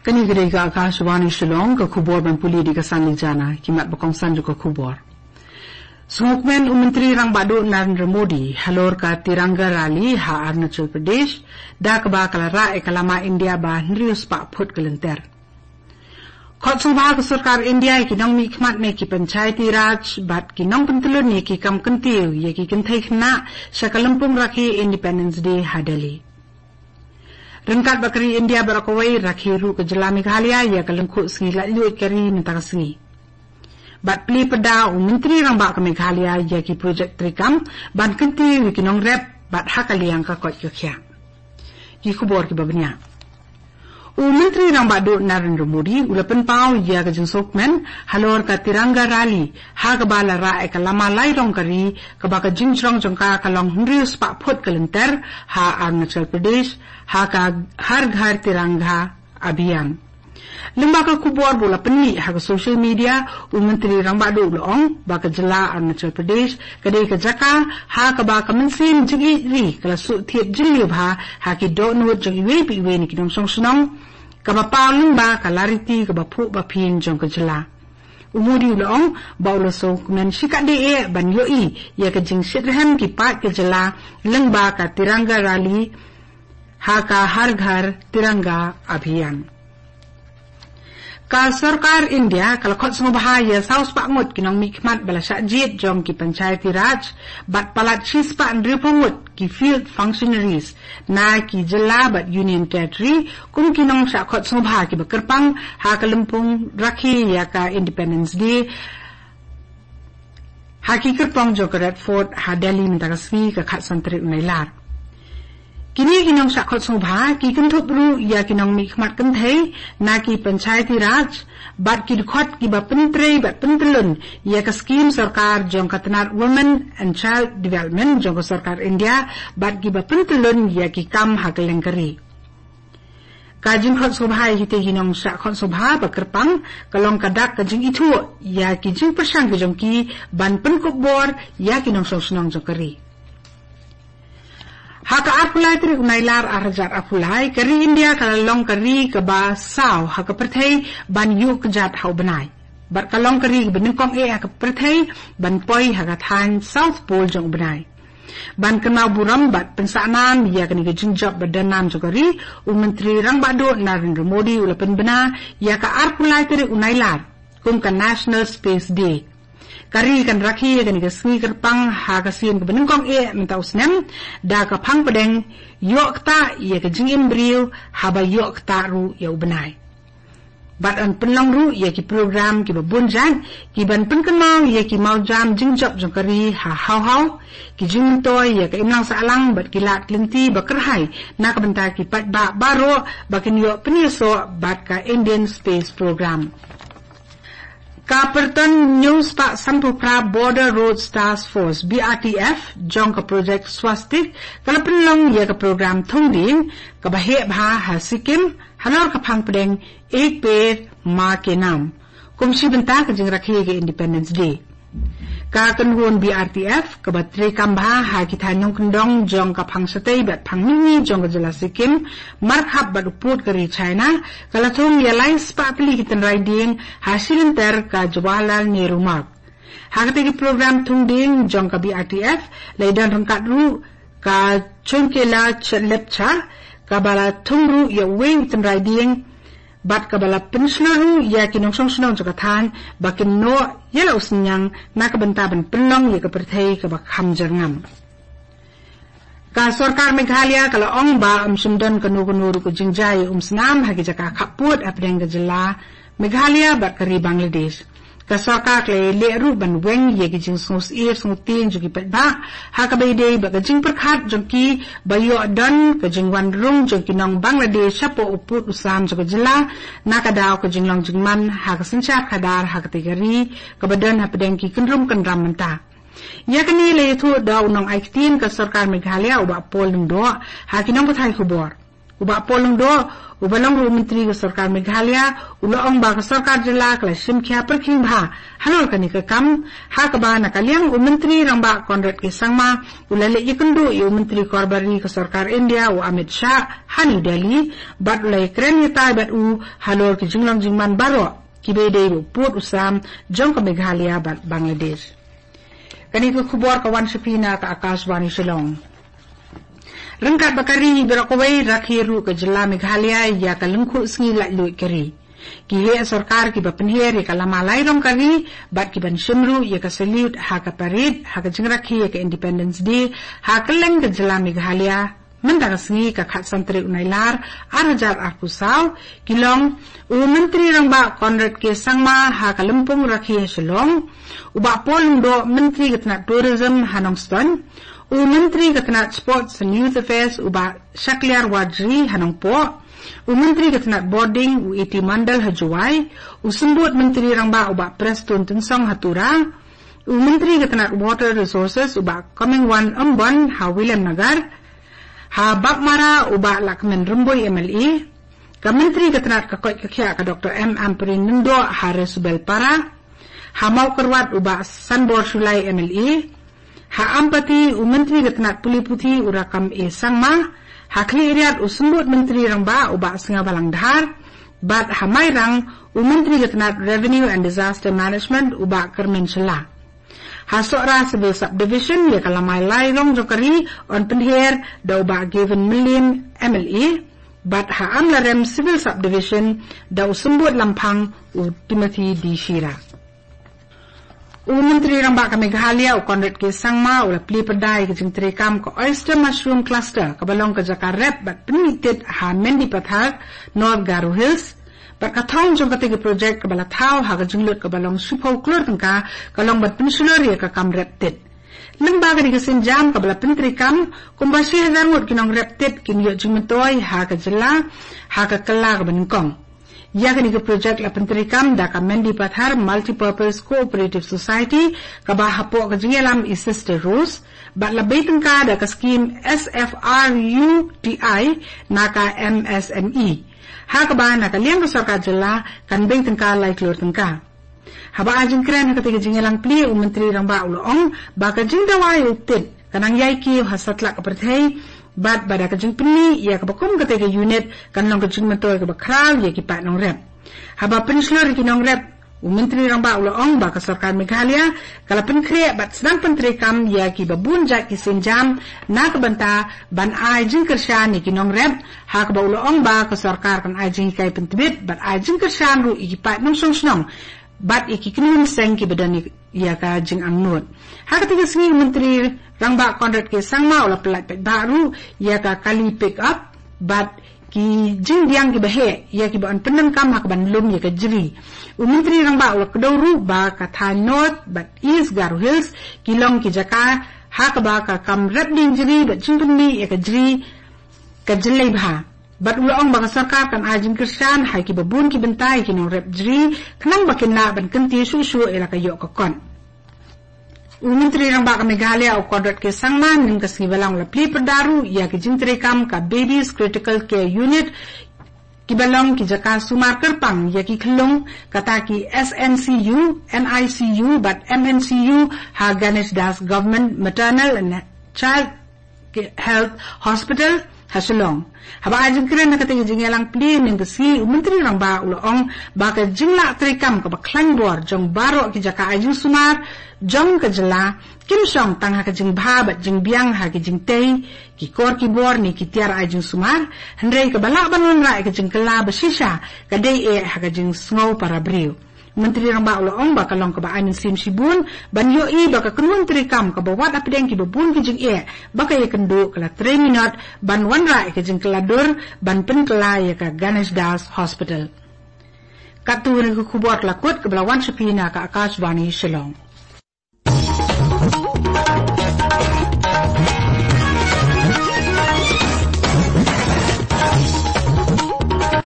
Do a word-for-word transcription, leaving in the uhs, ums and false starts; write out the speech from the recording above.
Kane ka dei ka Akashvani Shillong, ka khubor ban pule da ka Sanli Jana, ki mat ba kongsan jong ka khubor. Sngewkmen u Myntri Rangbah Duh Narendra Modi halor ka Tiranga Rally ha Arunachal Pradesh, da kaba ka la rah ïa ka lama India ba hynriew spah phut ka lynter. Khot sngewbha ka sorkar India ïa ki nongmihkhmat ne ki Panchayati Raj bad ki nongpyntyllun ïa ki kam kyntiew ïa ki kynthei khynnah sha ka lympung rakhe Independence Day ha Delhi. Ryngkat bad ka ri India baroh kawei, rakhe ruh ka jylla Meghalaya ïa ka lyngkhuh sngi laitluid ka ri mynta ka sngi. Bad plie pyrda u Myntri Rangbah ka Meghalaya ïa ki projek treikam ban kyntiew ïa ki nongrep bad ha ka liang ka koit ka khiah. Ki khubor kiba bniah. U Myntri Rangbah Duh Narendra Modi u la pynpaw ïa ka jingsngewkmen halor ka Tiranga Rally ha kaba la rah ïa ka lama lai rong ka ri, kaba ka jingjrong jong ka ka long hynriew spah phut ka lynter ha Arunachal Pradesh, ha ka Har Ghar Tiranga Abhiyan. Lyngba ka khubor ba u la pynmih ha ka social media, u Myntri Rangbah Duh u la ong ba ka jylla Arunachal Pradesh ka dei ka jaka ha kaba ka mynsiem jingïeit ri ka la shu thied jylliew bha ha ki dohnud jong iwei pa iwei na ki nongshong shnong, kaba paw lyngba ka lariti kaba phuh ba phieng jong ka jylla. U Modi u la ong ba u la sngewkmen shikatdei eh ban ïohi ïa ka jingshitrhem ki paid ka jylla lyngba ka Tiranga Rally ha ka Har Ghar Tiranga Abhiyan. Ka sorkar India ka la khot sngewbha ïa saw spah ngut ki nongmihkhmat ba la shah jied jong ki Panchayati Raj bad palat shi spah hynriewphew ngut ki field functionaries na ki jylla bad Union Territory kum ki nongshah khot sngewbha kiba kyrpang ha ka lympung rakhe ïa ka Independence Day ha ki kyrpong jong ka Red Fort ha Delhi mynta ka sngi, ka khatsan tarik u Nailar. Kine ki nongshah khot sngewbha ki kynthup ruh ïa ki nongmihkhmat kynthei na ki Panchayati Raj bad ki dkhot kiba pyntrei bad pyntyllun ïa ka skhim sorkar jong ka tnat Women and Child Development jong ka sorkar India bad kiba pyntyllun ïa ki kam ha kylleng ka ri. Ka jingkhot sngewbha ïa kitei ki nongshah khot sngewbha ba kyrpang ka long ka dak ka jingithuh ïa ki jingpyrshang ki jong ki ban pynkup bor ïa ki nongshong shnong jong ka ri. Ha ka arphew lai tarik u Nailar arhajar arphew lai, ka ri India ka la long ka ri kaba saw ha ka pyrthei ban ïuh kjat ha u bnai. Bad ka long ka ri kaba nyngkong eh ha ka pyrthei ban poi ha ka thaiñ South Pole jong u bnai. Ban kynmaw burom bad pynsah nam ïa kane ka jingjop ba don nam jong ka ri, u Myntri Rangbah Duh Narendra Modi u la pynbna ïa ka arphew lai tarik u Nailar kum ka National Space Day. Ka ri kan rakhe ïa kane ka sngi kyrpang ha ka sien kaba nyngkong eh mynta u snem da ka phang pdeng, ïoh ktah ïa ka jingim briew haba ïoh ktah ruh ïa u bnai. Bad yn pynlong ruh ïa ki program kiba bun jait kiban pynkynmaw ïa ki mawjam jingjop jong ka ri ha haw haw, ki jingmyntoi ïa ka imlang sahlang bad ki lad ki lynti ba kyrhai na ka bynta ki paidbah baroh ba kin ïoh pynïasoh bad ka Indian Space Program. Ka pyrton hynñiew spah sanphew phra Border Roads Task Force, B R T F, jong ka projek Swastik ka la pynlong ïa ka program thung dieng kaba heh bha ha Sikkim halor ka phang pdeng Ek Ped Maa Ke Naam kum shi bynta ka jingrakhe ka Independence Day. Ka kynhun B R T F kaba treikam bha ha ki thaiñ nongkyndong jong ka phang shatei bad phang mihngi jong ka jylla Sikkim, markhap bad u pud ka ri China, ka la thung ïa lai spah tylli ki tynrai dieng ha shilynter ka Jawaharlal Nehru Marg. Ha katei ka program thung dieng jong ka B R T F la ïadon ryngkat ruh ka Chongkela Chetlepcha, kaba la thung ruh ïa uwei u tynrai dieng, bad kaba la pynshlur ruh ïa ki nongshong shnong jong ka thaiñ ba kin noh ïa la u synñiang na ka bynta ban pynlong ïa ka pyrthei kaba kham jyrngam. Ka sorkar Meghalaya ka la ong ba ym shym don kano kano ruh ka jingjia ïa umsnam ha ki jaka khappud hapdeng ka jylla Meghalaya bad ka ri Bangladesh. Ka sorkar ka la ïaleh ruh ban weng ïa ki jingsngewsyier sngewtieng jong ki paidbah ha kaba ïadei bad ka jingpyrkhat jong ki ba ïoh don ka jingwan rung jong ki nong Bangladesh shapoh u pud u sam jong ka jylla na ka daw ka jinglong jingman ha ka synshar khadar ha katei ka ri kaba don hapdeng ki kynrum kynram mynta. Ïa kane la ïathuh da u nongai ktien ka sorkar Meghalaya, u Bah Paul Lyngdoh, ha ki nongpathai khubor. U Bah Paul Lyngdoh, uba long ruh u Myntri ka Sorkar Meghalaya, u la ong ba ka Sorkar Jylla ka la shim khia pyrkhing bha halor kane ka kam, ha kaba na ka liang u Myntri Rangbah Conrad K Sangma u la leit ïakynduh ïa u Myntri Korbari ka Sorkar India u Amit Shah ha New Delhi, bad u la ïakren ïatai bad u halor ki jinglong jingman baroh kiba ïadei bad u pud u sam jong ka Meghalaya bad Bangladesh. Kane ka khubor ka wan sha phi na ka Akashvani Shillong. Ryngkat bad ka ri baroh kawei, rakhe ruh ka Jylla Meghalaya ïa ka lyngkhuh sngi laitluid ka ri. Ki heh sorkar kiba pynher ïa ka lama lai rong ka ri bad ki ban shim ruh ïa ka salute ha ka parade ha ka jingrakhe ïa ka Independence Day ha kylleng ka Jylla Meghalaya mynta ka sngi, ka khatsan tarik u Nailar arhajar arphew saw, ki long u Myntri Rangbah Conrad K Sangma ha ka lympung rakhe ha Shillong, u Bah Paul Lyngdoh, Myntri ka tnat Tourism ha Nongstoiñ, u Myntri ka tnat Sports and Youth Affairs u Bah Shakliar Warjri ha Nongpoh, u Myntri ka tnat Border u A T Mondal ha Jowai, u Symbud Myntri Rangbah u Bah Prestone Tynsong ha Tura, u Myntri ka tnat Water Resources u Bah Comingone Ymbon ha Williamnagar, ha Baghmara u Bah Lahkmen Rymbui M L A, ka Myntri ka tnat ka koit ka khiah ka Doctor M Ampareen Lyngdoh ha Resubelpara, ha Mawkyrwat u Bah Sanbor Shullai M L A, ha Ampati u Myntri ka tnat pule puthi u Rakkam A Sangma, ha Khliehriat u Symbud Myntri Rangbah u Bah Sniawbhalang Dhar, bad ha Mairang u Myntri ka tnat Revenue and Disaster Management u Bah Kyrmen Shylla. Ha Sohra Civil Subdivision ïa ka lama lai rong jong ka ri yn pynher da u Bah Gavin Mylliem M L A, bad ha Amlarem Civil Subdivision da u Symbud Lamphang u Timothy D Shira. U Myntri Rangbah ka Meghalaya u Conrad K Sangma u la plie pyrda ïa ka jingtreikam ka Oyster Mushroom Cluster kaba long ka jaka rep bad pynmih tit ha Mendipathar, North Garo Hills, bad ka thong jong kata ka projek kaba la thaw ha ka jinglut kaba long shiphew klur tyngka ka long ban pynshlur ïa ka kam rep tit. Lyngba kane ka sienjam kaba la pyntreikam, kumba shi hajar ngut ki nongrep tit kin ïoh jingmyntoi ha ka jylla ha ka kylla kaba nyngkong. Ïa kane ka projek la pyntreikam da ka Mendipathar Multipurpose Cooperative Society kaba hapoh ka jingïalam i Sister Rose, bad la bei tyngka da ka skhim S F R U T I na ka M S M E. Ha kaba na ka liang ka sorkar jylla kan bei tyngka lai klur tyngka. Haba ai jingkren ha kata ka jingïalang plie, u Myntri Rangbah u la ong ba ka jingdawa ïa u tit ka nang ïai kiew ha satlak ka pyrthei, bad ba da ka jingpynmih ïa kaba kum kata ka unit kan long ka jingmyntoi kaba khraw ïa ki paid nongrep. Haba pynshlur ïa ki nongrep, u Myntri Rangbah u la ong ba ka sorkar Meghalaya ka la pynkhreh bad sdang pyntreikam ïa kiba bun jait ki sienjam na ka bynta ban ai jingkyrshan ïa ki nongrep, ha kaba u la ong ba ka sorkar kan ai jinghikai pyntbit bad ai jingkyrshan ruh ïa ki paid nongshong shnong bad ïa ki kynhun seng kiba don ïa ka jingangnud. Ha kata ka sngi u Myntri Rangbah Conrad K Sangma u la pyllait paidbah ruh ïa ka kali pick up bad ki jingbiang kiba heh ïa kiba yn pyndonkam ha kaban lum ïa ka jri. U Myntri Rangbah u la kdew ruh ba ka thaiñ North bad East Garo Hills ki long ki jaka ha kaba ka kam rep dieng jri bad jingpynmih ïa ka jri ka jyllei bha. Bad u la ong ba ka sorkar kan ai jingkyrshan ha kiba bun ki bynta ïa ki nongrep jri khnang ba kin lah ban kyntiew shuh shuh ïa la ka ïoh ka kot. U Myntri Rangbah ka Meghalaya u Conrad K Sangma mynne ka sngi Balang u la plie pyrda ruh ïa ki jingtreikam ka Babies Critical Care Unit kiba long ki jaka sumar kyrpang ïa ki khyllung, kata ki S N C U, N I C U bad M N C U ha Ganesh Das Government Maternal and Child Health Hospital ha Shillong. Haba ai jingkren ha kata ka jingïalang plie mynne ka sngi, u Myntri Rangbah u la ong ba ka jinglah treikam kaba khlaiñ bor jong baroh ki jaka ai jingsumar jong ka jylla kim shong tang ha ka jingbha bad jingbiang ha ki jingtei, ki kor ki bor ne ki tiar ai jingsumar, hynrei kaba lah ban wanrah ïa ka jingkylla ba shisha ka dei eh ha ka jingsngew para briew. Myntri Rangbah u la ong ba ka long kaba ai mynsiem shibun ban ïohi ba ka kynhun treikam kaba wad hapdeng kiba bun ki jingeh ba ka ïakynduh ka la trei minot ban wanrah ïa ka jingkylla dur ban pynkylla ïa ka Ganesh Das Hospital. Katto kane ka khubor ka la kut kaba la wan sha phi na ka Akashvani Shillong.